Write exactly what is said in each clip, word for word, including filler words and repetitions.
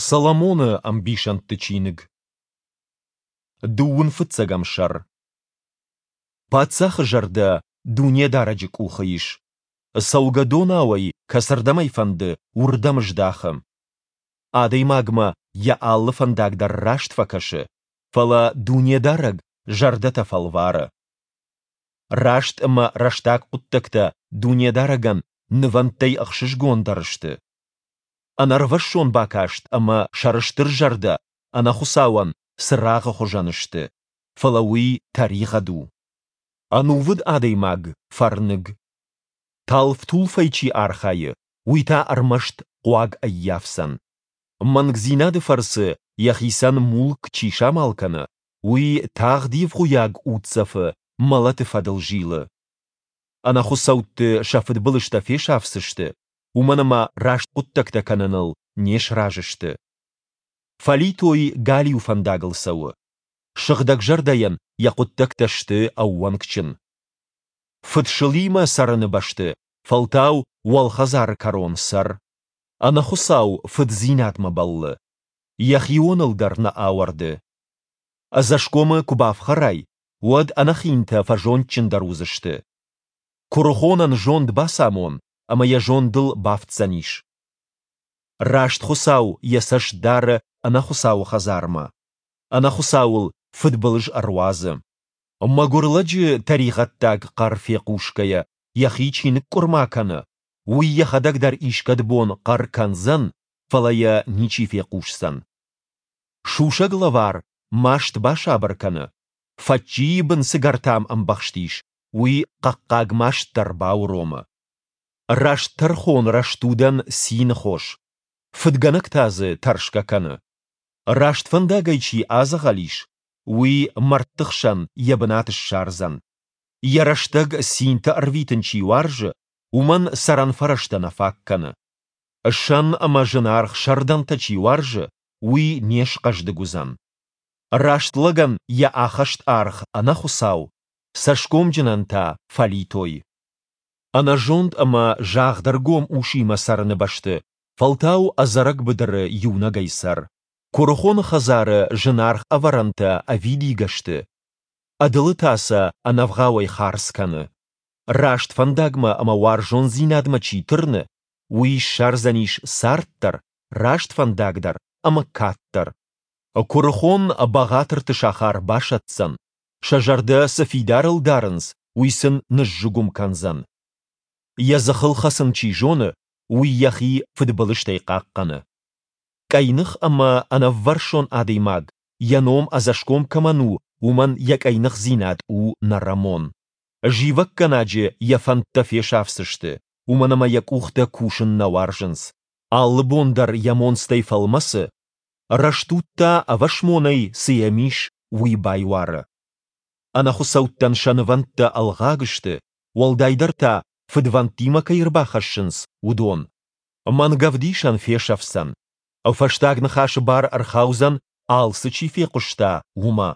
Соломоны ӕмбисӕндты чиныг. Дыууын фыццӕгӕм сӕр. Паддзахы зӕрдӕ Дунедарӕджы къухы ис. Цӕугӕдонау ӕй, кӕцырдӕм ӕй фӕнды, уырдӕм здахы. Адӕймагмӕ йӕ алы фӕндаг дӕр раст фӕкӕсы, фӕлӕ Дунедарӕг зӕрдӕтӕ фӕлвары. Раст ӕмӕ рӕстаг хъуыддӕгтӕ Дунедарӕгӕн нывӕндтӕй ӕхсызгондӕр сты. Ӕнӕрвӕссон бакаст ӕмӕ сӕрыстыр зӕрдӕ ӕнӕхуыцауӕн цырагъы хуызӕн сты, фӕлӕ уый тӕригъӕд у. Ӕнувыд адӕймаг – фӕрныг. Талф-тулфӕй чи архайы, уый та ӕрмӕст хъуаг ӕййафдзӕн. Мӕнгдзинады фӕрцы йӕхицӕн мулк чи самал кӕны, уый тагъд ивгъуыйаг уддзӕфы мӕлӕты фӕдыл зилы. Ӕнӕхуыцӕутты сӕ фыдбылызтӕ фесафдзысты, уымӕн ӕмӕ раст хъуыддӕгтӕ кӕныныл не сразы сты. Фӕлитой галиу фӕндагыл цӕуы. Сыгъдӕгзӕрдӕйӕн йӕ хъуыддӕгтӕ сты ӕууӕнкджын. Фыдсылимӕ цӕрыны бӕсты фӕлтау уӕлхӕдзары кӕрон цӕр. Ӕнӕхуыцау фыддзинадмӕ бӕллы. Йӕхионыл дӕр нӕ ауӕрды. Ӕдзӕсгомы куы бафхӕрай, уӕд ӕнӕхинтӕ фӕзондджындӕр уыдзысты. Куырыхонӕн зонд бацамон, ӕмӕ йӕ зондыл бафтдзӕнис. Раст Хуыцау йӕ цӕст дары ӕнӕхуыцауы хӕдзармӕ. Ӕнӕхуыцауыл фыдбылыз ӕруадзы. Мӕгуыр лӕджы тӕригъӕддаг хъӕр фехъусгӕйӕ, йӕхи чи ныкъкъуырма кӕны, уый йӕхӕдӕг дӕр искӕд бон хъӕр кӕндзӕн, фӕлӕ йӕ ничи фехъусдзӕн. Сусӕг лӕвар маст басабыр кӕны, фӕччийы бын цы гӕртам ӕмбӕхст ис, уый хъӕхъхъаг маст дӕр бауромы. Раст тӕрхон рӕстудӕн цины хос, фыдгӕнӕг та дзы тӕрсгӕ кӕны. Раст фӕндагӕй чи адзӕгъӕл ис, уый мӕрдты хсӕн йӕ бынат ссардзӕн. Йӕ рӕстӕг цинтӕ ӕрвитын чи уарзы, уымӕн цӕрӕн фӕрӕзтӕ нӕ фаг кӕны. Сӕн ӕмӕ зынаргъ сӕрдӕнтӕ чи уарзы, уый не схъӕздыг уыдзӕн. Раст лӕгӕн йӕ ахӕст аргъ ӕнӕхуыцау, цӕсгомджынӕн та фӕлитой. Ӕнӕзонд ӕмӕ загъдӕргом усимӕ цӕрыны бӕсты фӕлтау ӕдзӕрӕг быдыры иунӕгӕй цӕр. Куырыхоны хӕдзары зынаргъ ӕвӕрӕнтӕ ӕвидигӕ сты, ӕдылы та сӕ ӕнӕвгъауӕй хардз кӕны. Раст фӕндагмӕ ӕмӕ уарзондзинадмӕ чи тырны, уый ссардзӕнис цард дӕр, раст фӕндаг дӕр ӕмӕ кад дӕр. Куырыхон бӕгъатырты сахар басӕтдзӕн, сӕ зӕрдӕ цы фидарыл дарынц, уый сын ныззыгуым кӕндзӕн. Йӕ дзыхыл хӕцын чи зоны, уый йӕхи фыдбылызтӕй хъахъхъӕны. Къӕйных ӕмӕ ӕнӕввӕрсон адӕймаг, йӕ ном ӕдзӕсгом кӕмӕн у, уымӕн йӕ къӕйныхдзинад у нӕрӕмон. Зивӕггӕнаджы йӕ фӕндтӕ фесӕфдзысты, уымӕн ӕмӕ йӕ къухтӕ кусын нӕ уарзынц. Алы бон дӕр йӕ монцтӕй фӕлмӕцы, рӕстуд та ӕвӕсмонӕй, цы йӕм ис, уый байуары. Ӕнӕхуыцӕуттӕн сӕ нывӕндтӕ ӕлгъаг сты, уӕлдайдӕр та фыдвӕндтимӕ кӕй ӕрбахӕссынц, уыдон. Мӕнгӕвдисӕн фесӕфдзӕн. Фӕстаг ныхасы бар ӕрхаудзӕн, алцы чи фехъуыста, уымӕ.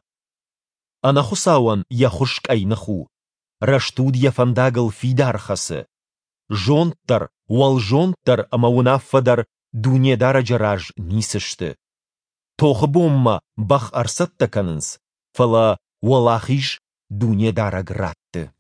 Ӕнӕхуыцауӕн йӕ хуыз къӕйных у, рӕстуд йӕ фӕндагыл фидар хӕцы. Зонд дӕр, уӕлзонд дӕр ӕмӕ уынаффӕ дӕр Дунедарӕджы раз ницы сты. Тохы бонмӕ бӕх ӕрцӕттӕ кӕнынц, фӕлӕ уӕлахиз Дунедарӕг ратты.